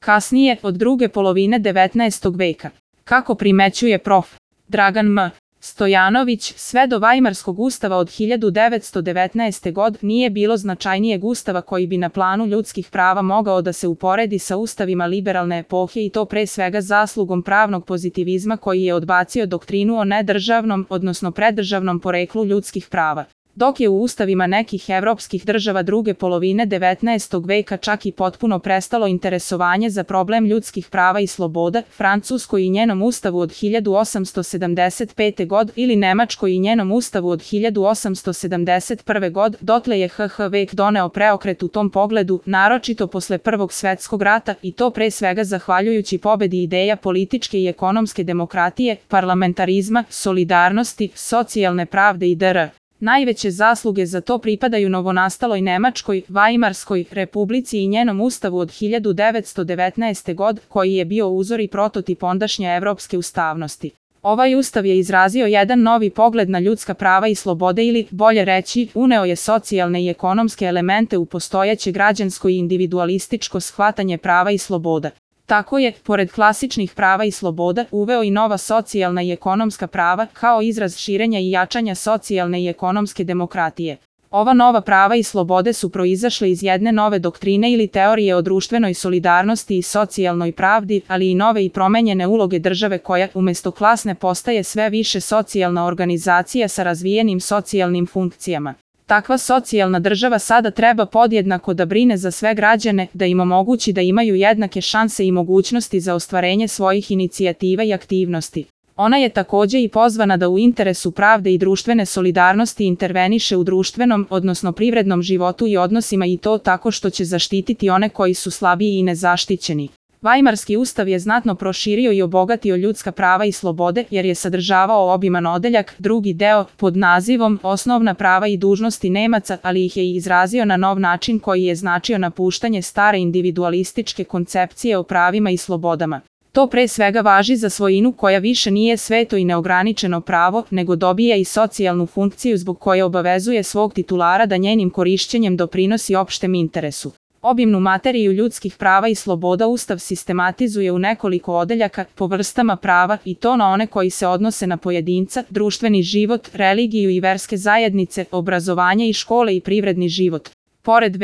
kasnije od druge polovine 19. veka. Kako primećuje prof. Dragan M. Stojanović, sve do Vajmarskog ustava od 1919. godine nije bilo značajnijeg ustava koji bi na planu ljudskih prava mogao da se uporedi sa ustavima liberalne epohe i to pre svega zaslugom pravnog pozitivizma koji je odbacio doktrinu o nedržavnom, odnosno preddržavnom poreklu ljudskih prava. Dok je u ustavima nekih evropskih država druge polovine 19. veka čak i potpuno prestalo interesovanje za problem ljudskih prava i sloboda, Francuskoj i njenom ustavu od 1875. godine ili Nemačkoj i njenom ustavu od 1871. godine, dotle je HH vek doneo preokret u tom pogledu, naročito posle Prvog svetskog rata i to pre svega zahvaljujući pobedi ideja političke i ekonomske demokratije, parlamentarizma, solidarnosti, socijalne pravde i dr. Najveće zasluge za to pripadaju novonastaloj Nemačkoj, Vajmarskoj republici i njenom ustavu od 1919. godine, koji je bio uzor i prototip ondašnje evropske ustavnosti. Ovaj ustav je izrazio jedan novi pogled na ljudska prava i slobode ili, bolje reći, uneo je socijalne i ekonomske elemente u postojeće građansko i individualističko shvatanje prava i sloboda. Tako je, pored klasičnih prava i sloboda, uveo i nova socijalna i ekonomska prava kao izraz širenja i jačanja socijalne i ekonomske demokratije. Ova nova prava i slobode su proizašle iz jedne nove doktrine ili teorije o društvenoj solidarnosti i socijalnoj pravdi, ali i nove i promenjene uloge države koja, umesto klasne, postaje sve više socijalna organizacija sa razvijenim socijalnim funkcijama. Takva socijalna država sada treba podjednako da brine za sve građane, da im omogući da imaju jednake šanse i mogućnosti za ostvarenje svojih inicijativa i aktivnosti. Ona je takođe i pozvana da u interesu pravde i društvene solidarnosti interveniše u društvenom, odnosno privrednom životu i odnosima i to tako što će zaštititi one koji su slabiji i nezaštićeni. Vajmarski ustav je znatno proširio i obogatio ljudska prava i slobode jer je sadržavao obiman odeljak, drugi deo, pod nazivom Osnovna prava i dužnosti Nemaca, ali ih je i izrazio na nov način koji je značio napuštanje stare individualističke koncepcije o pravima i slobodama. To pre svega važi za svojinu koja više nije sveto i neograničeno pravo, nego dobija i socijalnu funkciju zbog koje obavezuje svog titulara da njenim korišćenjem doprinosi opštem interesu. Obimnu materiju ljudskih prava i sloboda Ustav sistematizuje u nekoliko odeljaka po vrstama prava i to na one koji se odnose na pojedinca, društveni život, religiju i verske zajednice, obrazovanje i škole i privredni život. Pored